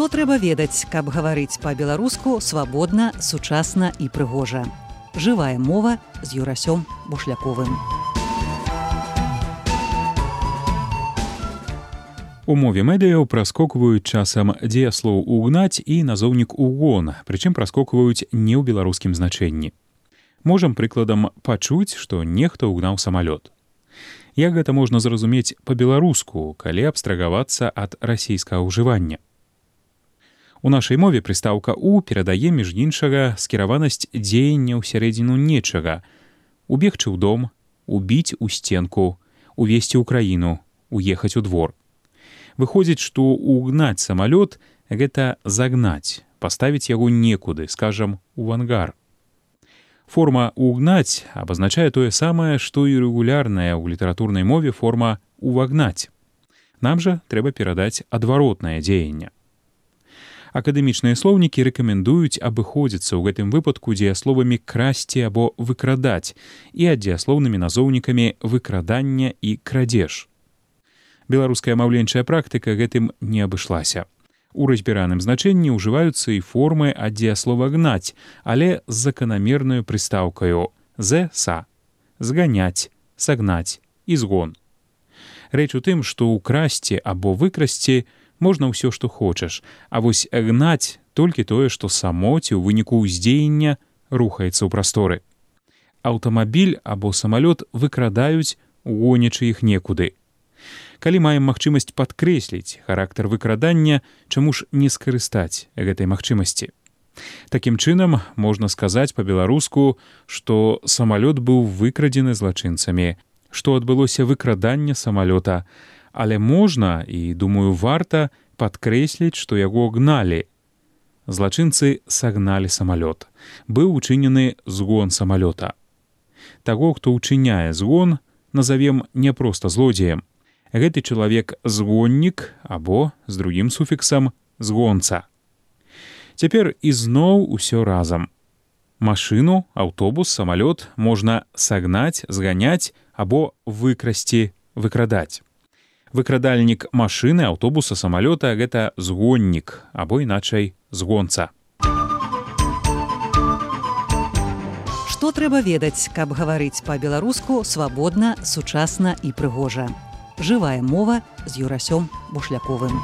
Што трэба ведаць, каб гаварыць па-беларуску свабодна, сучасна і прыгожа. Жывая мова з Юрасём Бушляковым. У мове медыяў праскокваюць часам дзеяслоў «угнаць» і назоўнік «угон», прычым праскокваюць не ў беларускім значэнні. Можам прыкладам пачуць, што нехта ўгнаў самалёт. Як гэта можна зразумець па-беларуску, калі абстрагавацца ад расійскага ўжывання? У нашай мове прыстаўка «у» перадае, між іншага, скіраванасць дзеяння ў сярэдзіну нечага: убегчы ў дом, убіць у стенку, увесці ў краіну, уехаць у двор. Выходзіць, што «угнаць» самалёт — гэта загнаць, паставіць яго некуды, скажам, у ангар. Форма «угнаць» абазначае тое самае, што і рэгулярная ў літаратурнай мове форма «увагнаць». Нам жа трэба перадаць адваротнае дзеянне. Акадэмічныя слоўнікі рэкамендуюць абыходзіцца ў гэтым выпадку дзеясловамі «красці» або «выкрадаць» і аддзеяслоўнымі назоўнікамі «выкрадання» і «крадзеж». Беларуская маўленчая практыка гэтым не абышлася. У разбіраным значэнні ўжываюцца і формы аддзеяслова «гнаць», але з заканамернаю прыстаўкаю «з-са» — зганяць, сагнаць і згон. Рэч у тым, што ўкрасці або выкрасці можна ўсё, што хочаш, а вось гнаць толькі тое, што само ці ў выніку ўздзеяння рухаецца ў прасторы. Аўтамабіль або самалёт выкрадаюць, гонячы іх некуды. Калі маем магчымасць падкрэсліць характар выкрадання, чаму ж не скарыстаць гэтай магчымасці? Такім чынам, можна сказаць па-беларуску, што самалёт быў выкрадзены злачынцамі, што адбылося выкраданне самалёта, але можна, і, думаю, варта падкрэсліць, што яго гналі. Злачынцы сагналі самалёт. Быў учынены згон самалёта. Таго, хто ўчыняе згон, назавем не проста злодзеем. Гэты чалавек згоннік або, з другім суфіксам, згонца. Цяпер ізноў усё разам. Машыну, аўтобус, самалёт можна сагнаць, зганяць або выкрасці, выкрадаць. Выкрадальнік машыны, аўтобуса, самалёта — гэта згоннік або, іначай, згонца. Што трэба ведаць, каб гаварыць па-беларуску свабодна, сучасна і прыгожа. Жывая мова з Юрасём Бушляковым.